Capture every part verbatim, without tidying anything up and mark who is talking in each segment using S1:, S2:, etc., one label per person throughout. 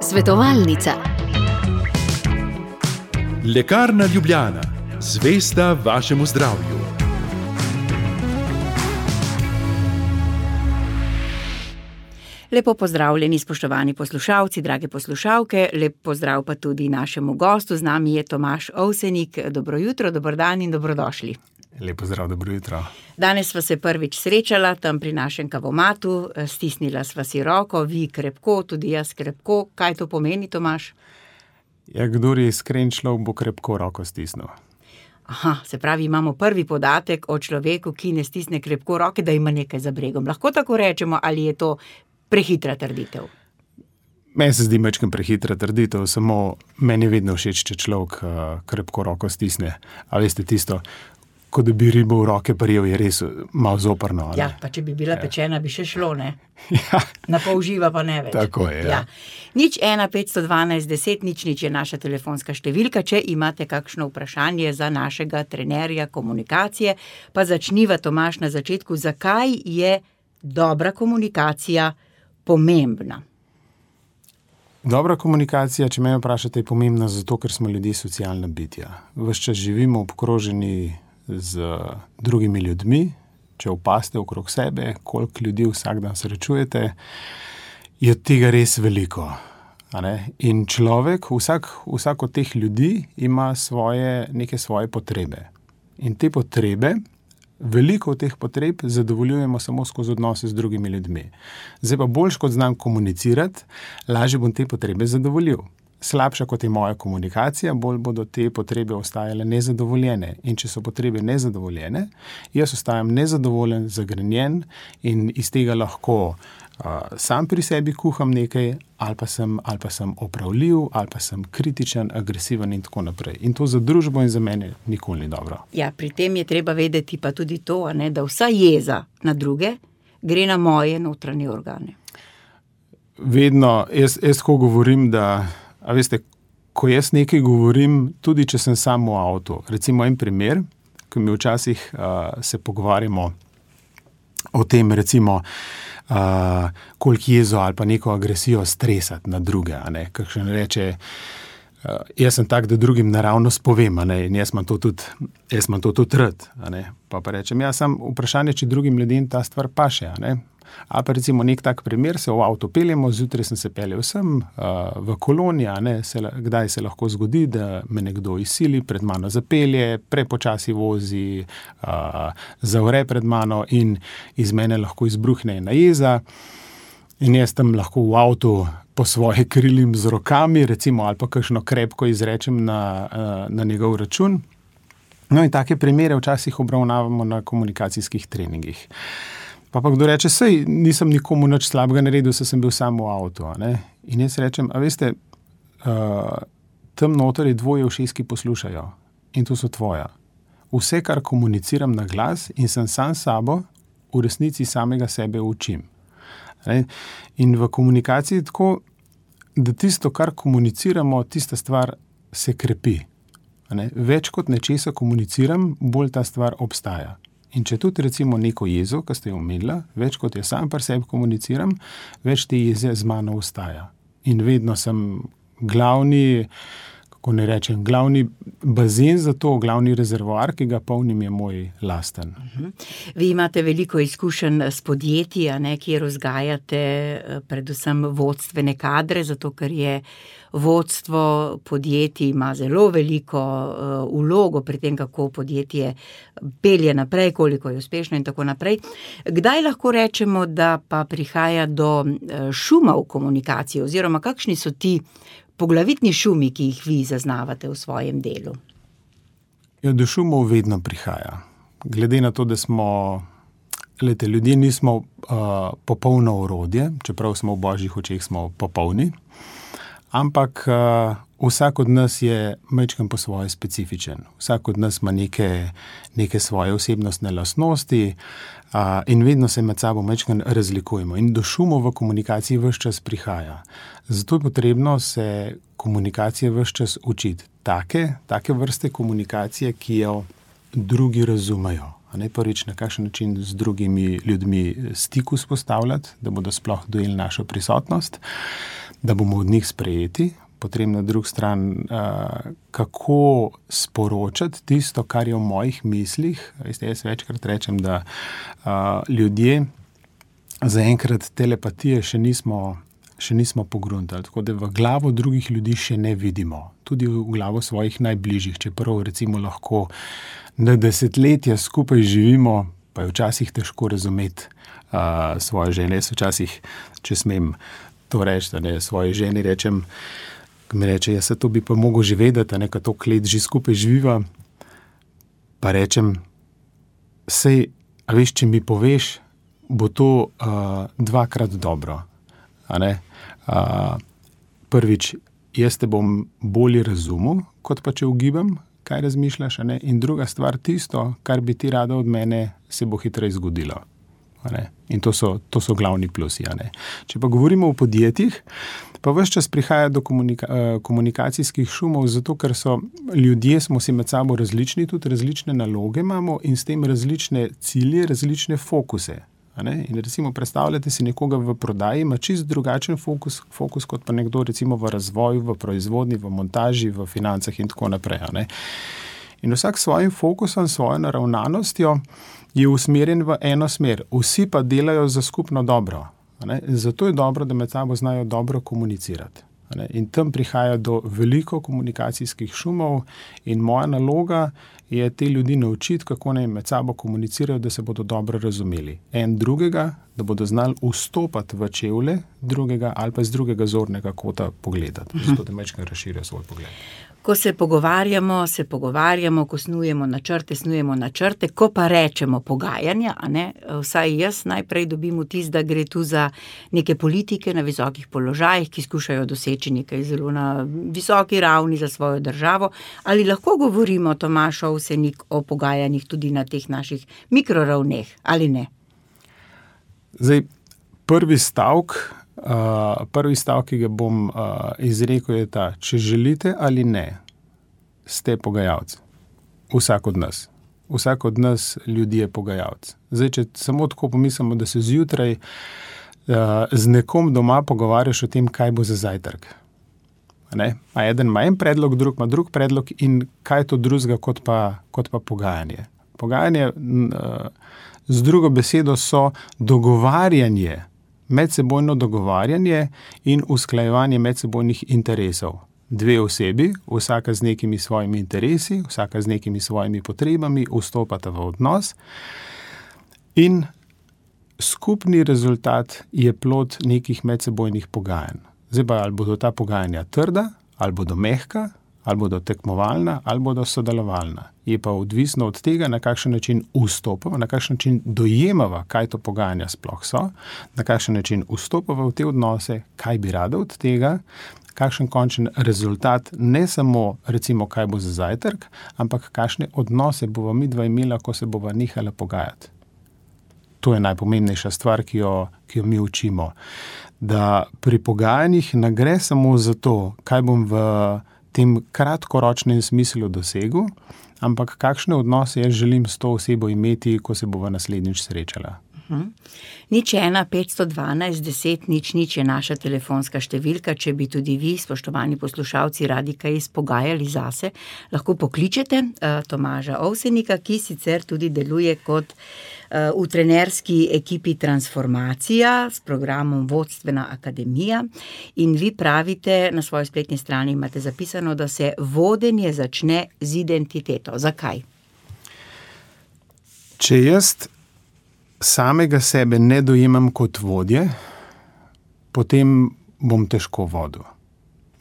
S1: Svetovalnica.
S2: Lekarna Ljubljana, zvesta vašemu zdravju.
S3: Lepo pozdravljeni, spoštovani poslušalci, drage poslušalke, lep pozdrav pa tudi našemu gostu. Z nami je Tomaž Ovsenik. Dobro jutro, dober dan in dobrodošli.
S4: Lep pozdrav, dobro jutro.
S3: Danes sva se prvič srečala tam pri našem kavomatu, stisnila sva si roko, vi krepko, tudi jaz krepko. Kaj to pomeni, Tomaž?
S4: Ja, kdor je iskren človek, bo krepko roko stisnil.
S3: Aha, se pravi, imamo prvi podatek o človeku, ki ne stisne krepko roke, da ima nekaj za bregom. Lahko tako rečemo, ali je to prehitra trditev?
S4: Meni se zdi majčkeno prehitra trditev, samo meni je vedno všeč, če človek uh, krepko roko stisne. A veste tisto, ko da bi ribo v roke prijel, je res malo zoprno.
S3: Ja, pa če bi bila ja. pečena, bi še šlo, ne?
S4: Ja.
S3: Na pol živa pa ne več.
S4: Tako je, ja.
S3: ja. Nič ena, petsto dvanajst, deset, nič, nič je naša telefonska številka. Če imate kakšno vprašanje za našega trenerja komunikacije, pa začniva, Tomaž, na začetku. Zakaj je dobra komunikacija pomembna?
S4: Dobra komunikacija, če me vprašate, je pomembna zato, ker smo ljudje socialna bitja. Ves čas živimo obkroženi z drugimi ljudmi. Če opazite okrog sebe, koliko ljudi vsak dan srečujete, je tega res veliko. A ne? In človek, vsak, vsak od teh ljudi ima svoje, neke svoje potrebe. In te potrebe, veliko od teh potreb zadovoljujemo samo skozi odnose z drugimi ljudmi. Zdaj pa boljš, kot znam komunicirati, lažje bom te potrebe zadovoljil. Slabša, kot je moja komunikacija, bolj bodo te potrebe ostajale nezadovoljene. In če so potrebe nezadovoljene, jaz ostajam nezadovoljen, zagrenjen in iz tega lahko uh, sam pri sebi kuham nekaj, ali pa sem, ali pa sem opravljiv, ali pa sem kritičen, agresiven in tako naprej. In to za družbo in za mene nikoli ni dobro.
S3: Ja, pri tem je treba vedeti pa tudi to, ne, da vsa jeza na druge gre na moje notranje organe.
S4: Vedno, jaz, jaz tako govorim, da a veste, ko jaz nekaj govorim, tudi če sem sam v avtu, recimo en primer, ko mi včasih uh, se pogovarjamo o tem, recimo, uh, koliko jezo ali pa neko agresijo stresati na druge, a ne, kakšen reče, uh, jaz sem tak, da drugim naravnost povem, a ne, in jaz imam to tudi, jaz imam to tudi rad, a ne, pa pa rečem, ja, sam vprašanje, če drugim ljudem ta stvar paše, a ne. Ali pa recimo nek tak primer, se v avto peljemo, zjutraj sem se peljal sem uh, v koloni, a ne, se, kdaj se lahko zgodi, da me nekdo izsili, pred mano zapelje, prepočasi vozi, uh, zavre pred mano in iz mene lahko izbruhne ena jeza in jaz tam lahko v avtu po svoje krilim z rokami, recimo, ali pa kakšno krepko izrečem na, uh, na njegov račun. No in take primere včasih obravnavamo na komunikacijskih treningih. Pa pa kdo reče, sej nisem nikomu nič slabega naredil, se sem bil sam v avtu. A ne? In jaz rečem, a veste, uh, tam noter je dvoje ušes, ki poslušajo in to so tvoja. Vse, kar komuniciram na glas in sem sam sabo, v resnici samega sebe učim. A ne? In v komunikaciji tako, da tisto, kar komuniciramo, tista stvar se krepi. A ne? Več kot nečesa komuniciram, bolj ta stvar obstaja. In če tudi recimo neko jezo, ki ste jo omenila, več kot je sam pri sebi komuniciram, več te jeze z mano ostaja. In vedno sem glavni, kako ne rečem, glavni bazen za to, glavni rezervoar, ki ga polnim, je moj lasten.
S3: Vi imate veliko izkušenj s podjetji, a ne, kjer vzgajate predvsem vodstvene kadre, zato ker je vodstvo podjetij ima zelo veliko uh, vlogo pri tem, kako podjetje pelje naprej, koliko je uspešno in tako naprej. Kdaj lahko rečemo, da pa prihaja do uh, šuma v komunikaciji, oziroma kakšni so ti poglavitni šumi, ki jih vi zaznavate v svojem delu?
S4: Ja, do šumov vedno prihaja. Glede na to, da smo, glede, ljudje nismo uh, popolno orodje, čeprav smo v božjih očeh smo popolni, ampak uh, vsak od nas je majčkeno po svoje specifičen. Vsak od nas ima neke, neke svoje osebnostne lastnosti uh, in vedno se med sabo majčkeno razlikujemo. In do šumov v komunikaciji ves čas prihaja. Zato je potrebno se komunikacije ves čas učiti. Take, take vrste komunikacije, ki jo drugi razumejo. Ne, prvič, na kakšen način z drugimi ljudmi stik vzpostavljati, da bodo sploh dojeli našo prisotnost, da bomo od njih sprejeti. Potem na drugi strani, uh, kako sporočati tisto, kar je v mojih mislih. Veste, jaz večkrat rečem, da uh, ljudje zaenkrat telepatije še nismo, še nismo pogruntali, tako da v glavo drugih ljudi še ne vidimo. Tudi v glavo svojih najbližjih, čeprav recimo lahko na desetletja skupaj živimo, pa je včasih težko razumeti uh, svoje žene. Jaz včasih, če smem to reči, da ne svoje ženi rečem, ko mi reče, jaz se to bi pa mogel že vedeti, nekaj to let že skupaj živiva, pa rečem, sej, a veš, če mi poveš, bo to uh, dvakrat dobro. A ne? Uh, prvič, jaz te bom bolje razumel, kot pa če ugibam, kaj razmišljaš, a ne? In druga stvar, tisto, kar bi ti rada od mene, se bo hitreje zgodilo. A ne? In to so, to so glavni plusi. A ne? Če pa govorimo o podjetjih, pa ves čas prihaja do komunika- komunikacijskih šumov, zato ker so ljudje, smo si med sabo različni, tudi različne naloge imamo in s tem različne cilje, različne fokuse. A ne? In recimo predstavljate si nekoga v prodaji, ima čist drugačen fokus, fokus kot pa nekdo recimo v razvoju, v proizvodnji, v montaži, v financah in tako naprej. A ne? In vsak s svojim fokusom, svojo naravnanostjo je usmerjen v eno smer. Vsi pa delajo za skupno dobro. Ne? Zato je dobro, da med sabo znajo dobro komunicirati. Ne? In tam prihaja do veliko komunikacijskih šumov in moja naloga je te ljudi naučiti, kako naj med sabo komunicirajo, da se bodo dobro razumeli. En drugega, da bodo znali vstopati v čevlje drugega ali pa z drugega zornega kota pogledati. Zato da mečkaj razširijo svoj pogled.
S3: Ko se pogovarjamo, se pogovarjamo, ko snujemo načrte, snujemo načrte, ko pa rečemo pogajanja, a ne, vsaj jaz najprej dobim vtis, da gre tu za neke politike na visokih položajih, ki skušajo doseči nekaj zelo na visoki ravni za svojo državo. Ali lahko govorimo, Tomaž Ovsenik, o pogajanjih tudi na teh naših mikroravneh, ali ne?
S4: Zdaj, prvi stavk, Uh, prvi stavek, ki ga bom uh, izrekel, je ta, če želite ali ne, ste pogajalci. Vsak od nas. Vsak od nas ljudi je pogajalec. Zdaj, če samo tako pomislimo, da se zjutraj uh, z nekom doma pogovarjaš o tem, kaj bo za zajtrk. Ne? A eden ima en predlog, drug ima drug predlog in kaj je to drugega kot pa, kot pa pogajanje. Pogajanje uh, z drugo besedo so dogovarjanje, medsebojno dogovarjanje in usklajevanje medsebojnih interesov. Dve osebi, vsaka z nekimi svojimi interesi, vsaka z nekimi svojimi potrebami, vstopata v odnos in skupni rezultat je plod nekih medsebojnih pogajanj. Zdaj pa, ali bodo ta pogajanja trda, ali bodo mehka, ali bodo tekmovalna, ali bodo sodelovalna. Je pa odvisno od tega, na kakšen način vstopava, na kakšen način dojemava, kaj to pogajanja sploh so, na kakšen način vstopava v te odnose, kaj bi rada od tega, kakšen končen rezultat, ne samo recimo, kaj bo za zajtrk, ampak kakšne odnose bova midva imela, ko se bova nehala pogajati. To je najpomembnejša stvar, ki jo, ki jo mi učimo. Da pri pogajanjih ne gre samo za to, kaj bom v tem kratkoročnem smislu dosegel, ampak kakšne odnose jaz želim s to osebo imeti, ko se bova naslednjič srečala.
S3: Uh-huh. Nič ena, petsto dvanajst, deset, nič, nič je naša telefonska številka. Če bi tudi vi, spoštovani poslušalci, radi kaj izpogajali zase, lahko pokličete uh, Tomaža Ovsenika, ki sicer tudi deluje kot uh, v trenerski ekipi Transformacija s programom Vodstvena akademija. In vi pravite, na svoji spletni strani imate zapisano, da se vodenje začne z identiteto. Zakaj?
S4: Če jaz samega sebe ne dojemam kot vodje, potem bom težko vodil.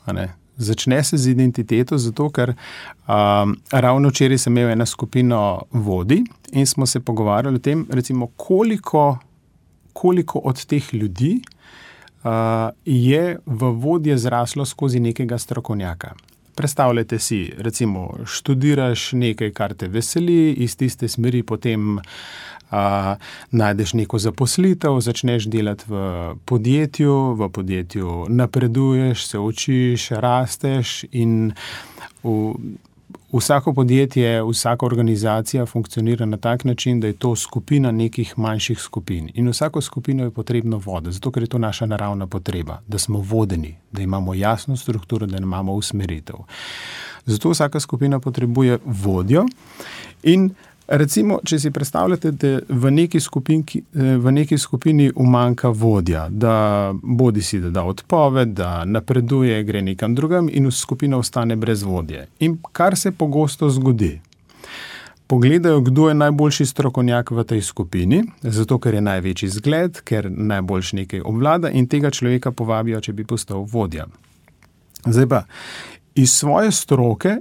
S4: A ne? Začne se z identiteto, zato ker um, ravno včeraj sem imel eno skupino vodij in smo se pogovarjali o tem, recimo, koliko, koliko od teh ljudi uh, je v vodje zraslo skozi nekega strokovnjaka. Predstavljajte si, recimo, študiraš nekaj, kar te veseli, iz tiste smeri potem Uh, najdeš neko zaposlitev, začneš delati v podjetju, v podjetju napreduješ, se učiš, rasteš in v, vsako podjetje, vsaka organizacija funkcionira na tak način, da je to skupina nekih manjših skupin. In vsako skupino je potrebno voditi, zato ker je to naša naravna potreba, da smo vodeni, da imamo jasno strukturo, da imamo usmeritev. Zato vsaka skupina potrebuje vodjo in recimo, če si predstavljate, da v neki skupini, v neki skupini umanjka vodja, da bodi si, da da odpoved, da napreduje, gre nekam drugam in skupina ostane brez vodje. In kar se pogosto zgodi, pogledajo, kdo je najboljši strokovnjak v tej skupini, zato ker je največji zgled, ker najboljš nekaj obvlada in tega človeka povabijo, če bi postal vodja. Zdaj pa, iz svoje stroke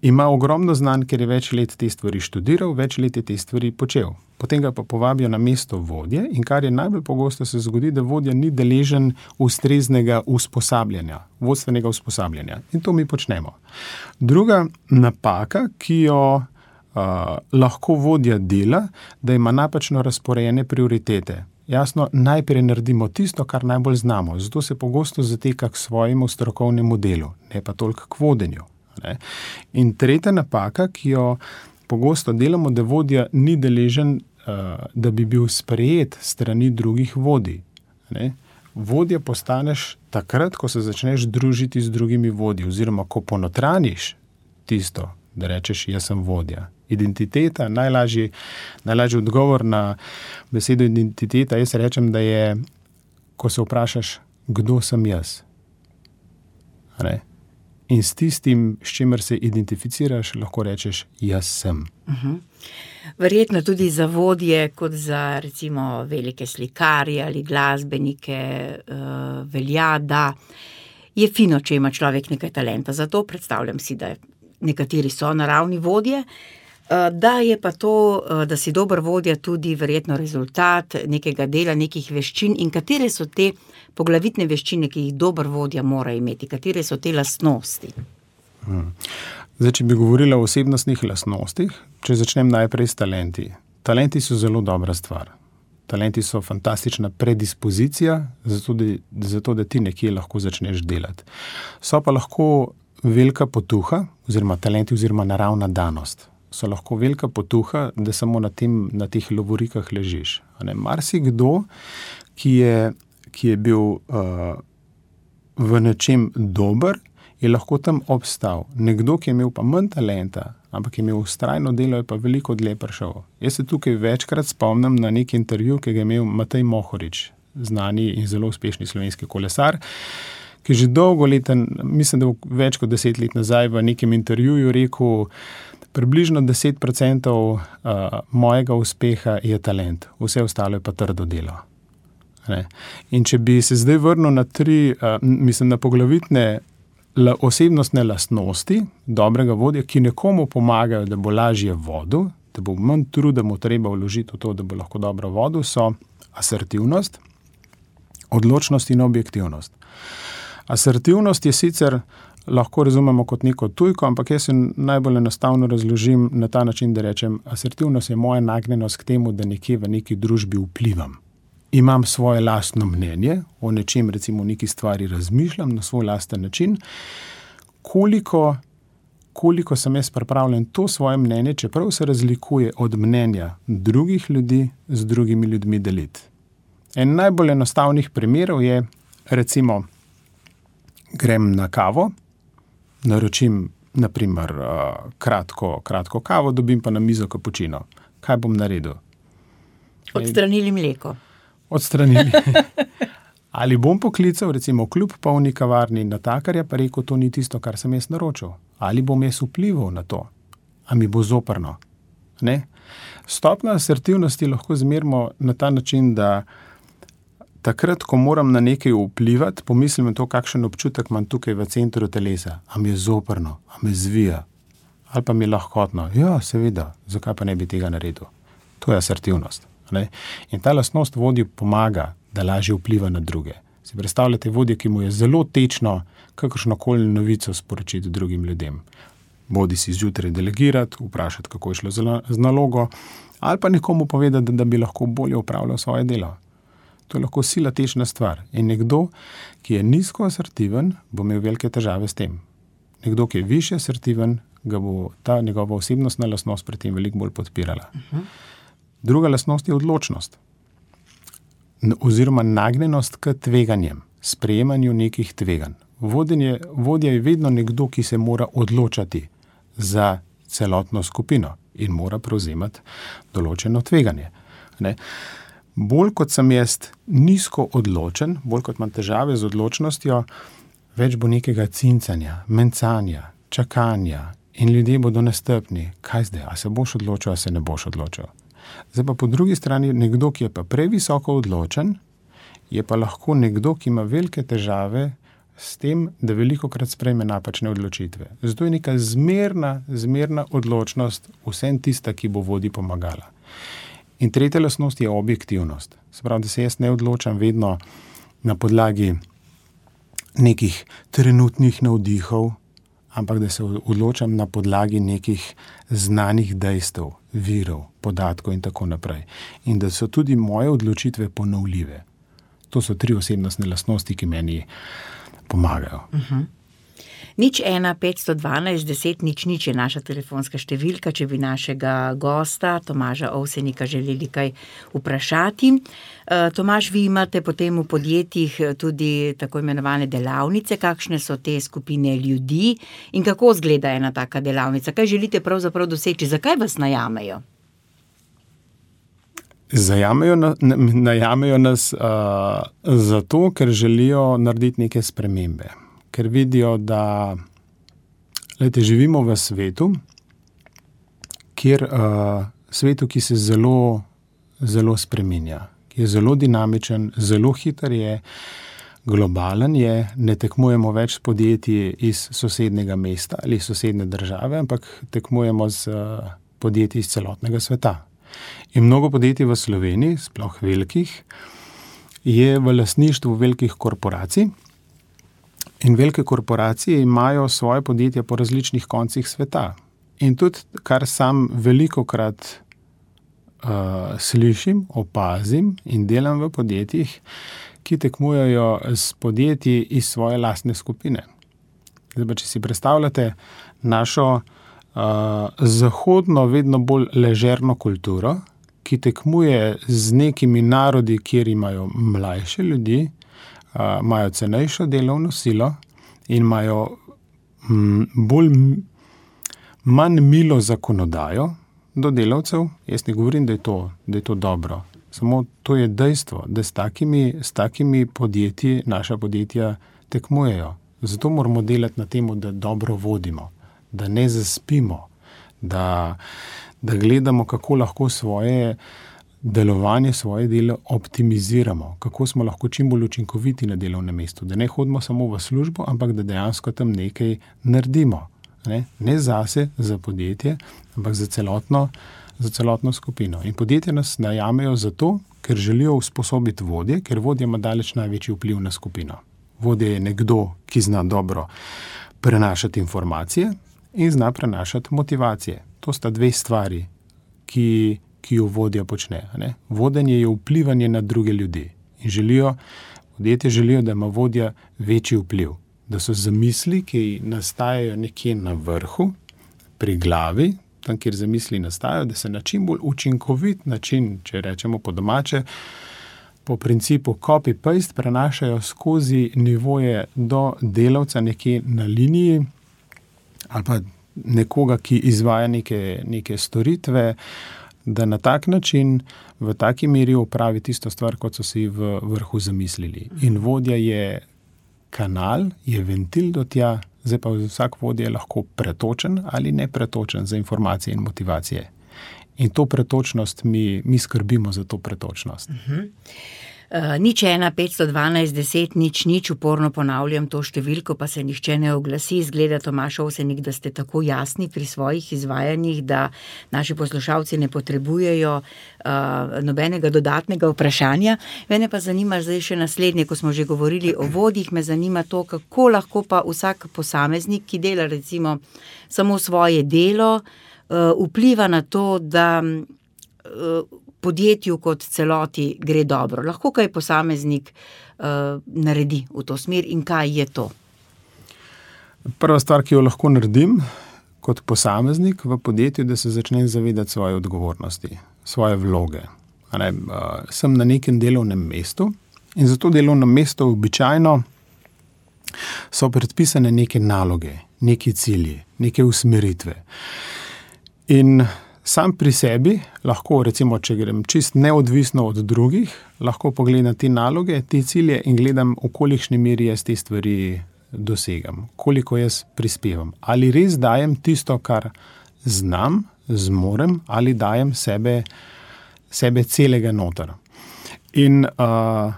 S4: ima ogromno znanj, ker je več let te stvari študiral, več let je te stvari počel. Potem ga pa povabijo na mesto vodje in kar je najbolj pogosto se zgodi, da vodja ni deležen ustreznega usposabljanja, vodstvenega usposabljanja. In to mi počnemo. Druga napaka, ki jo uh, lahko vodja dela, da ima napačno razporejene prioritete. Jasno, najprej naredimo tisto, kar najbolj znamo, zato se pogosto zateka k svojemu strokovnemu delu, ne pa toliko k vodenju. Ne? In tretja napaka, ki jo pogosto delamo, da vodja ni deležen, uh, da bi bil sprejet strani drugih vodij. Ne? Vodja postaneš takrat, ko se začneš družiti z drugimi vodji, oziroma ko ponotraniš tisto, da rečeš, jaz sem vodja. Identiteta, najlažji, najlažji odgovor na besedo identiteta, jaz rečem, da je, ko se vprašaš, kdo sem jaz. Ne? In s tistim, s čimer se identificiraš, lahko rečeš, jaz sem.
S3: Uh-huh. Verjetno tudi za vodje, kot za recimo velike slikarje ali glasbenike, uh, velja, da je fino, če ima človek nekaj talenta. Zato predstavljam si, da nekateri so naravni vodje, uh, da je pa to, uh, da si dober vodja tudi verjetno rezultat nekega dela, nekih veščin in katere so te poglavitne veščine, ki jih dober vodja mora imeti, katere so te lastnosti?
S4: Hmm. Zdaj, če bi govorila o osebnostnih lastnostih, če začnem najprej s talenti. Talenti so zelo dobra stvar. Talenti so fantastična predispozicija, zato da, zato, da ti nekje lahko začneš delati. So pa lahko velika potuha, oziroma talenti, oziroma naravna danost. So lahko velika potuha, da samo na, tem, na teh lovorikah ležiš. Marsikdo, ki je ki je bil uh, v nečem dober, je lahko tam obstal. Nekdo, ki je imel pa manj talenta, ampak je imel vztrajno delo, je pa veliko dlje prišel. Jaz se tukaj večkrat spomnim na nek intervju, ki ga je imel Matej Mohorič, znani in zelo uspešni slovenski kolesar, ki že dolgo leta, mislim, da več kot deset let nazaj v nekem intervjuju rekel, približno deset procentov uh, mojega uspeha je talent, vse ostalo je pa trdo delo. Ne. In če bi se zdaj vrnil na tri, uh, mislim, na poglavitne la, osebnostne lastnosti dobrega vodja, ki nekomu pomagajo, da bo lažje vodil, da bo manj truda mu treba vložiti v to, da bo lahko dobro vodil, so asertivnost, odločnost in objektivnost. Asertivnost je sicer lahko razumemo kot neko tujko, ampak jaz se najbolj enostavno razložim na ta način, da rečem, asertivnost je moja nagnjenost k temu, da nekje v neki družbi vplivam. Imam svoje lastno mnenje, o nečem, recimo, neki stvari razmišljam na svoj lasten način, koliko, koliko sem jaz pripravljen to svoje mnenje, čeprav se razlikuje od mnenja drugih ljudi, z drugimi ljudmi deliti. En najbolj enostavnih primerov je, recimo, grem na kavo, naročim, naprimer, kratko, kratko kavo, dobim pa na mizo kapučino. Kaj bom naredil?
S3: Odstranili mleko.
S4: Odstranili. Ali bom poklical, recimo, kljub polni kavarni natakarja, pa rekel, to ni tisto, kar sem jaz naročil. Ali bom jaz vplival na to? A mi bo zoprno? Ne? Stopnjo asertivnosti lahko zmerimo na ta način, da takrat, ko moram na nekaj vplivati, pomislim na to, kakšen občutek imam tukaj v centru telesa. A mi je zoprno? A me zvija? Ali pa mi je lahkotno? Ja, seveda. Zakaj pa ne bi tega naredil? To je asertivnost. Ne? In ta lastnost vodji pomaga, da lažje vpliva na druge. Si predstavljate vodje, ki mu je zelo tečno kakršnokoli novico sporočiti drugim ljudem. Bodi si zjutraj delegirati, vprašati, kako je šlo z nalogo, ali pa nekomu povedati, da, da bi lahko bolje upravljal svoje delo. To je lahko sila tečna stvar. In nekdo, ki je nizko asertiven, bo imel velike težave s tem. Nekdo, ki je višje asertiven, ga bo ta njegova osebnostna lastnost pri tem veliko bolj podpirala. Uh-huh. Druga lastnost je odločnost. Oziroma nagnjenost k tveganjem, sprejemanju nekih tveganj. Vodenje, vodja je vedno nekdo, ki se mora odločati za celotno skupino in mora prevzemati določeno tveganje. Ne? Bolj kot sem jaz nizko odločen, bolj kot imam težave z odločnostjo, več bo nekega cincanja, mencanja, čakanja in ljudje bodo nestrpni. Kaj zdaj, a se boš odločil, a se ne boš odločil? Zdaj pa po drugi strani nekdo, ki je pa previsoko odločen, je pa lahko nekdo, ki ima velike težave s tem, da velikokrat sprejme napačne odločitve. Zato je neka zmerna, zmerna odločnost vsem tista, ki bo vodi pomagala. In tretja lastnost je objektivnost. Se pravi, da se jaz ne odločam vedno na podlagi nekih trenutnih navdihov, ampak da se odločam na podlagi nekih znanih dejstev, virov, podatkov in tako naprej. In da so tudi moje odločitve ponovljive. To so tri osebnostne lastnosti, ki meni pomagajo.
S3: Uh-huh. Nič ena, petsto dvanajst, deset, nič, nič je naša telefonska številka, če bi našega gosta, Tomaža Ovsenika, želeli kaj vprašati. Tomaž, vi imate potem v podjetjih tudi tako imenovane delavnice, kakšne so te skupine ljudi in kako izgleda ena taka delavnica? Kaj želite pravzaprav doseči? Zakaj vas najamejo?
S4: Zajamejo, najamejo nas uh, zato, ker želijo narediti neke spremembe. Ker vidijo, da lejte, živimo v svetu, kjer uh, svetu, ki se zelo, zelo spreminja, ki je zelo dinamičen, zelo hiter je, globalen je, ne tekmujemo več s podjetji iz sosednjega mesta ali sosednje države, ampak tekmujemo z uh, podjetji iz celotnega sveta. In mnogo podjetij v Sloveniji, sploh velikih, je v lastništvu velikih korporacij. In velike korporacije imajo svoje podjetja po različnih koncih sveta. In tudi, kar sam velikokrat uh, slišim, opazim in delam v podjetjih, ki tekmujejo s podjetji iz svoje lastne skupine. Zdaj pa, če si predstavljate našo Uh, zahodno, vedno bolj ležerno kulturo, ki tekmuje z nekimi narodi, kjer imajo mlajše ljudi, uh, imajo cenejšo delovno silo in imajo m, bolj manj milo zakonodajo do delavcev. Jaz ne govorim, da je to, da je to dobro. Samo to je dejstvo, da s takimi, s takimi podjetji naša podjetja tekmujejo. Zato moramo delati na tem, da dobro vodimo, da ne zaspimo, da, da gledamo, kako lahko svoje delovanje, svoje delo optimiziramo, kako smo lahko čim bolj učinkoviti na delovnem mestu, da ne hodimo samo v službo, ampak da dejansko tam nekaj naredimo. Ne, ne zase, za podjetje, ampak za celotno, za celotno skupino. In podjetje nas najamejo zato, ker želijo usposobiti vodje, ker vodja ima daleč največji vpliv na skupino. Vodja je nekdo, ki zna dobro prenašati informacije in zna prenašati motivacije. To sta dve stvari, ki, ki jo vodja počne. Ne? Vodenje je vplivanje na druge ljudi. In želijo, podjetje želijo, da ima vodja večji vpliv. Da so zamisli, ki nastajajo nekje na vrhu, pri glavi, tam, kjer zamisli nastajajo, da se na čim bolj učinkovit način, če rečemo po domače, po principu copy-paste prenašajo skozi nivoje do delavca nekje na liniji, ali pa nekoga, ki izvaja neke, neke storitve, da na tak način, v taki meri opravi tisto stvar, kot so si v vrhu zamislili. In vodja je kanal, je ventil do tja, zdaj pa vsak vodja je lahko pretočen ali ne pretočen za informacije in motivacije. In to pretočnost, mi, mi skrbimo za to pretočnost.
S3: Uh-huh. Uh, nič ena, petsto dvanajst, deset, nič, nič, uporno ponavljam to številko, pa se nihče ne oglasi. Izgleda, Tomaž Ovsenik, da ste tako jasni pri svojih izvajanjih, da naši poslušalci ne potrebujejo uh, nobenega dodatnega vprašanja. Mene pa zanima zdaj še naslednje, ko smo že govorili o vodjih, me zanima to, kako lahko pa vsak posameznik, ki dela recimo samo svoje delo, uh, vpliva na to, da uh, podjetju kot celoti gre dobro. Lahko kaj posameznik uh, naredi v to smer in kaj je to?
S4: Prva stvar, ki jo lahko naredim kot posameznik v podjetju, da se začnem zavedati svoje odgovornosti, svoje vloge. Ne, uh, sem na nekem delovnem mestu in za to delovno mesto običajno so predpisane neke naloge, neki cilji, neke usmeritve. In sam pri sebi lahko, recimo, če grem čist neodvisno od drugih, lahko pogledam te naloge, te cilje in gledam, v kolikšni meri jaz te stvari dosegam, koliko jaz prispevam. Ali res dajem tisto, kar znam, zmorem, ali dajem sebe, sebe celega noter. In uh,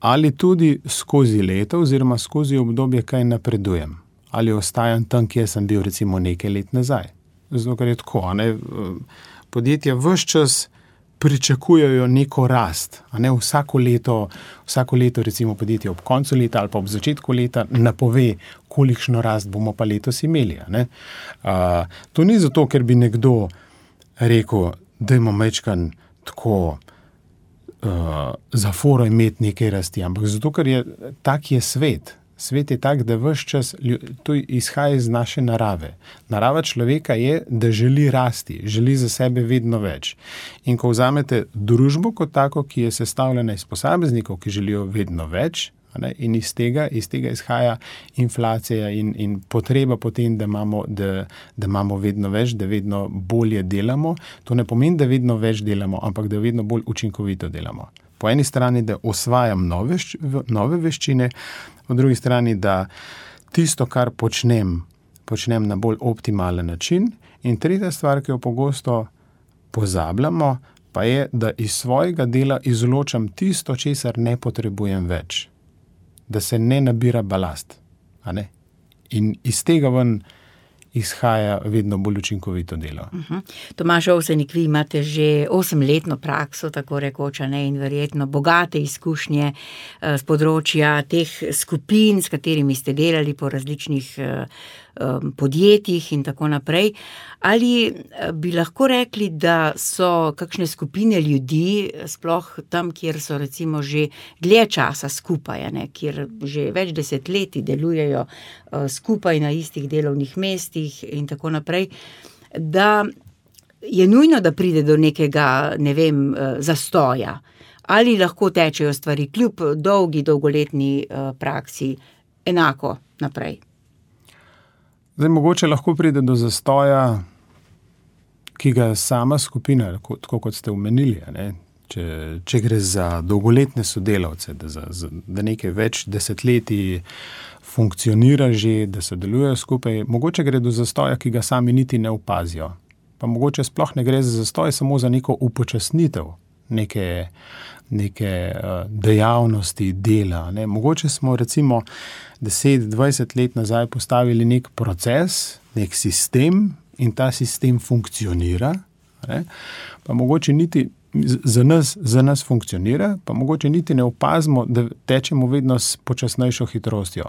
S4: ali tudi skozi leto oziroma skozi obdobje kaj napredujem. Ali ostajam tam, kjer sem bil recimo nekaj let nazaj. Zato, ker je tako, a ne, podjetja ves čas pričakujejo neko rast. A ne, vsako leto, vsako leto recimo podjetje ob koncu leta ali pa ob začetku leta napove, kolikšno rast bomo pa letos imeli. A ne. Uh, to ni zato, ker bi nekdo rekel, dajmo majčkan tako uh, za foro imeti nekaj rasti, ampak zato, ker je tak je svet. Svet je tak, da ves čas, to izhaja iz naše narave. Narava človeka je, da želi rasti, želi za sebe vedno več. In ko vzamete družbo kot tako, ki je sestavljena iz posameznikov, ki želijo vedno več, ne, in iz tega, iz tega izhaja inflacija in, in potreba potem, da imamo, da, da imamo vedno več, da vedno bolje delamo. To ne pomeni, da vedno več delamo, ampak da vedno bolj učinkovito delamo. Po eni strani, da osvajam nove, nove veščine, po drugi strani, da tisto, kar počnem, počnem na bolj optimalen način. In tretja stvar, ki jo pogosto pozabljamo, pa je, da iz svojega dela izločam tisto, česar ne potrebujem več. Da se ne nabira balast. A ne? In iz tega ven izhaja vedno bolj učinkovito delo.
S3: Uh-huh. Tomaž Ovsenik, vi imate že osemletno prakso, tako rekoča, ne, in verjetno bogate izkušnje uh, z področja teh skupin, s katerimi ste delali po različnih uh, um, podjetjih in tako naprej. Ali bi lahko rekli, da so kakšne skupine ljudi, sploh tam, kjer so recimo že dlje časa skupaj, ne, kjer že več desetletij delujejo uh, skupaj na istih delovnih mestih in tako naprej, da je nujno, da pride do nekega, ne vem, uh, zastoja. Ali lahko tečejo stvari kljub dolgi, dolgoletni uh, praksi enako naprej?
S4: Zdaj, mogoče lahko pride do zastoja, ki ga sama skupina, tako kot ste omenili, ne? Če, če gre za dolgoletne sodelavce, da, za, da nekaj več desetletij funkcionira že, da se delujejo skupaj, mogoče gre do zastoja, ki ga sami niti ne opazijo. Pa mogoče sploh ne gre za zastoj, samo za neko upočasnitev neke, neke uh, dejavnosti, dela. Ne? Mogoče smo recimo deset, dvajset let nazaj postavili nek proces, nek sistem, in ta sistem funkcionira, ne? Pa mogoče niti za nas, za nas funkcionira, pa mogoče niti ne opazimo, da tečemo vedno s počasnejšo hitrostjo.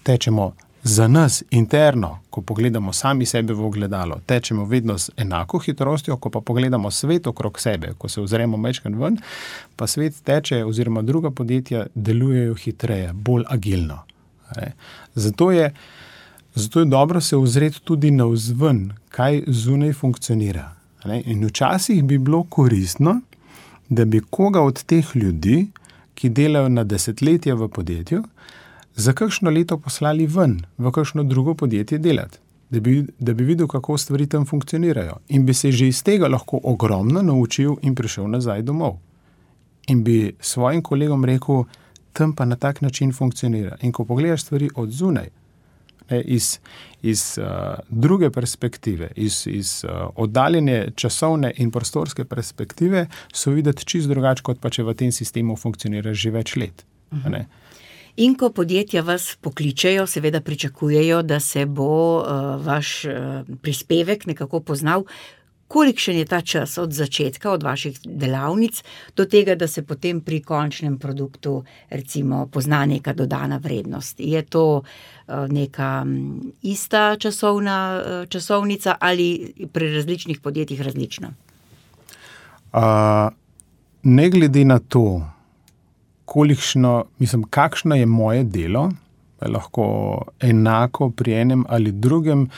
S4: Tečemo za nas interno, ko pogledamo sami sebe v ogledalo, tečemo vedno s enako hitrostjo, ko pa pogledamo svet okrog sebe, ko se ozremo majčkeno ven, pa svet teče oziroma druga podjetja delujejo hitreje, bolj agilno. Ne? Zato je Zato je dobro se ozreti tudi navzven, kaj zunaj funkcionira. Ne? In včasih bi bilo koristno, da bi koga od teh ljudi, ki delajo na desetletje v podjetju, za kakšno leto poslali ven, v kakšno drugo podjetje delati, da bi, da bi videl, kako stvari tam funkcionirajo. In bi se že iz tega lahko ogromno naučil in prišel nazaj domov. In bi svojim kolegom rekel, tam pa na tak način funkcionira. In ko pogledaš stvari od zunaj, iz, iz uh, druge perspektive, iz, iz uh, oddaljene časovne in prostorske perspektive, so videti čisto drugače, kot pa če v tem sistemu funkcionira že več let. Uh-huh. Ne?
S3: In ko podjetja vas pokličejo, seveda pričakujejo, da se bo uh, vaš uh, prispevek nekako poznal. Kolikšen je ta čas od začetka, od vaših delavnic, do tega, da se potem pri končnem produktu recimo pozna neka dodana vrednost? Je to neka ista časovna časovnica ali pri različnih podjetjih različno?
S4: Uh, ne glede na to, kolikšno, mislim, kakšno je moje delo, je lahko enako pri enem ali drugem,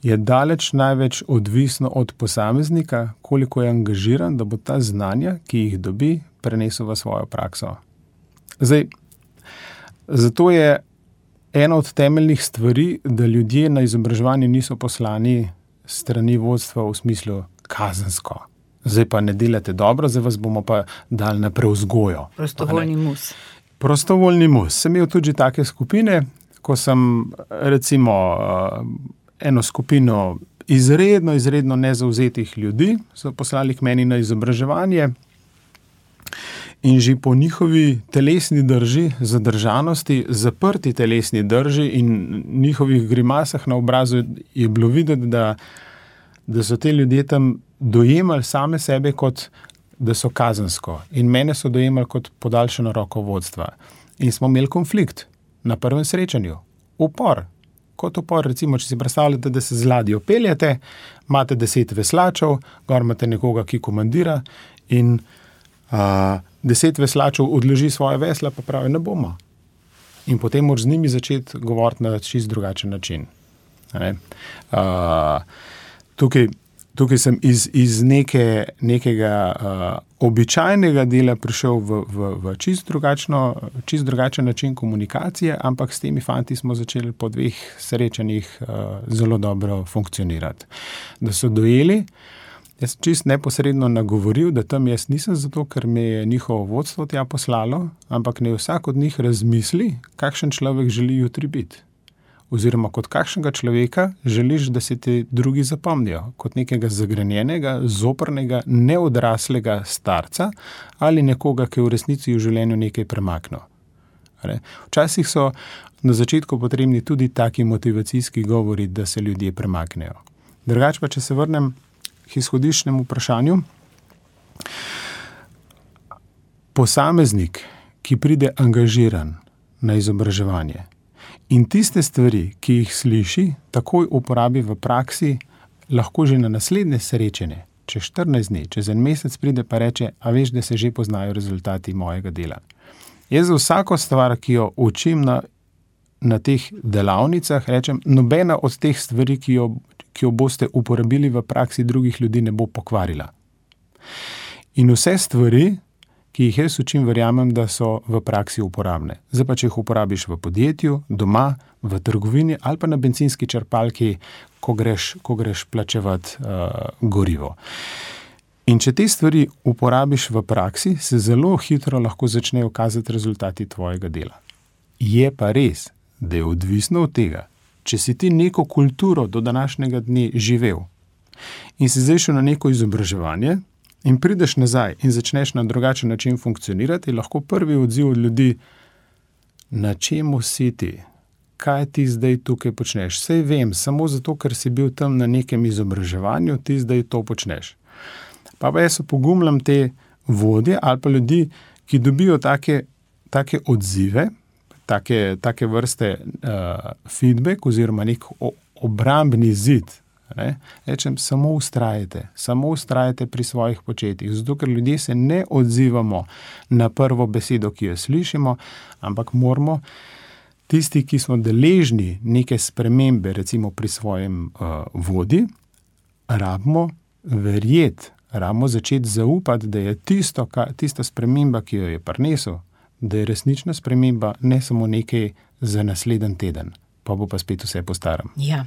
S4: je daleč največ odvisno od posameznika, koliko je angažiran, da bo ta znanja, ki jih dobi, prenesel v svojo prakso. Zdaj, zato je ena od temeljnih stvari, da ljudje na izobraževanje niso poslani strani vodstva v smislu kazensko. Zdaj pa ne delate dobro, zdaj vas bomo pa dali na prevzgojo.
S3: Prostovoljni mus.
S4: Prostovoljni mus. Sem imel tudi take skupine, ko sem recimo eno skupino izredno, izredno nezavzetih ljudi so poslali k meni na izobraževanje in že po njihovi telesni drži, zadržanosti, zaprti telesni drži in njihovih grimasah na obrazu je bilo videti, da, da so te ljudje tam dojemali same sebe kot, da so kazensko in mene so dojemali kot podaljšano roko vodstva. In smo imeli konflikt na prvem srečanju. Upor. Kot upor, recimo, če si predstavljate, da se z ladjo peljete, imate deset veslačev, gor imate nekoga, ki komandira in a, deset veslačev odloži svoje vesla, pa pravi, ne bomo. In potem moraš z njimi začeti govoriti na čist drugačen način. A, tukaj Tukaj sem iz, iz neke, nekega uh, običajnega dela prišel v, v, v čist, drugačno, čist drugačen način komunikacije, ampak s temi fanti smo začeli po dveh srečanjih uh, zelo dobro funkcionirati. Da so dojeli, jaz čist neposredno nagovoril, da tam jaz nisem zato, ker me je njihovo vodstvo tja poslalo, ampak ne vsak od njih razmisli, kakšen človek želi jutri biti. Oziroma kot kakšnega človeka želiš, da se ti drugi zapomnijo, kot nekega zagrenjenega, zoprnega, neodraslega starca ali nekoga, ki je v resnici v življenju nekaj premaknil. Včasih so na začetku potrebni tudi taki motivacijski govori, da se ljudje premaknejo. Drugače pa, če se vrnem k izhodiščnemu vprašanju, posameznik, ki pride angažiran na izobraževanje, in tiste stvari, ki jih sliši, takoj uporabi v praksi, lahko že na naslednje srečanje, čez štirinajst dni, čez en mesec pride pa reče, a veš, da se že poznajo rezultati mojega dela. Jaz za vsako stvar, ki jo učim na, na teh delavnicah, rečem, nobena od teh stvari, ki jo, ki jo boste uporabili v praksi drugih ljudi, ne bo pokvarila. In vse stvari, ki jih jaz učim, verjamem, da so v praksi uporabne. Zdaj pa, če jih uporabiš v podjetju, doma, v trgovini ali pa na bencinski črpalki, ko greš, ko greš plačevati uh, gorivo. In če te stvari uporabiš v praksi, se zelo hitro lahko začnejo kazati rezultati tvojega dela. Je pa res, da je odvisno od tega, če si ti neko kulturo do današnjega dne živel in si zdaj šel na neko izobraževanje, in prideš nazaj in začneš na drugačen način funkcionirati, lahko prvi odziv od ljudi, na čemu si ti, kaj ti zdaj tukaj počneš. Sej vem, samo zato, ker si bil tam na nekem izobraževanju, ti zdaj to počneš. Pa pa jaz opogumljam te vodje ali pa ljudi, ki dobijo take, take odzive, take, take vrste uh, feedback oziroma nek obrambni zid. Ne? Rečem, samo ustrajajte, samo ustrajajte pri svojih početjih, zato ker ljudje se ne odzivamo na prvo besedo, ki jo slišimo, ampak moramo tisti, ki smo deležni neke spremembe, recimo pri svojem uh, vodi, rabimo verjeti, rabimo začeti zaupati, da je tisto, ka, tista sprememba, ki jo je prinesel, da je resnična sprememba, ne samo nekaj za naslednji teden. Pa bo pa spet vse po starem.
S3: Ja.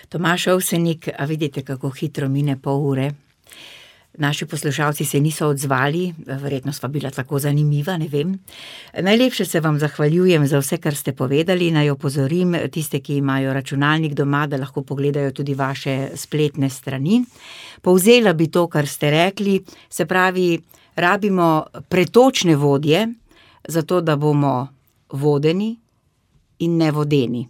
S3: Tomaž Ovsenik, a vidite, kako hitro mine pol ure. Naši poslušalci se niso odzvali, verjetno sva bila tako zanimiva, ne vem. Najlepše se vam zahvaljujem za vse, kar ste povedali. Naj opozorim tiste, ki imajo računalnik doma, da lahko pogledajo tudi vaše spletne strani. Povzela bi to, kar ste rekli, se pravi, rabimo pretočne vodje, zato da bomo vodeni in ne vodeni.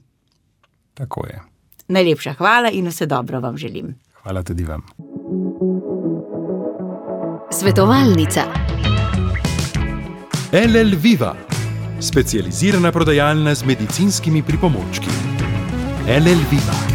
S4: Tako je.
S3: Najlepša hvala in vse dobro vam želim.
S4: Hvala tudi vam.
S1: Svetovalnica.
S2: L L Viva, specializirana prodajalna z medicinskimi pripomočki. L L Viva.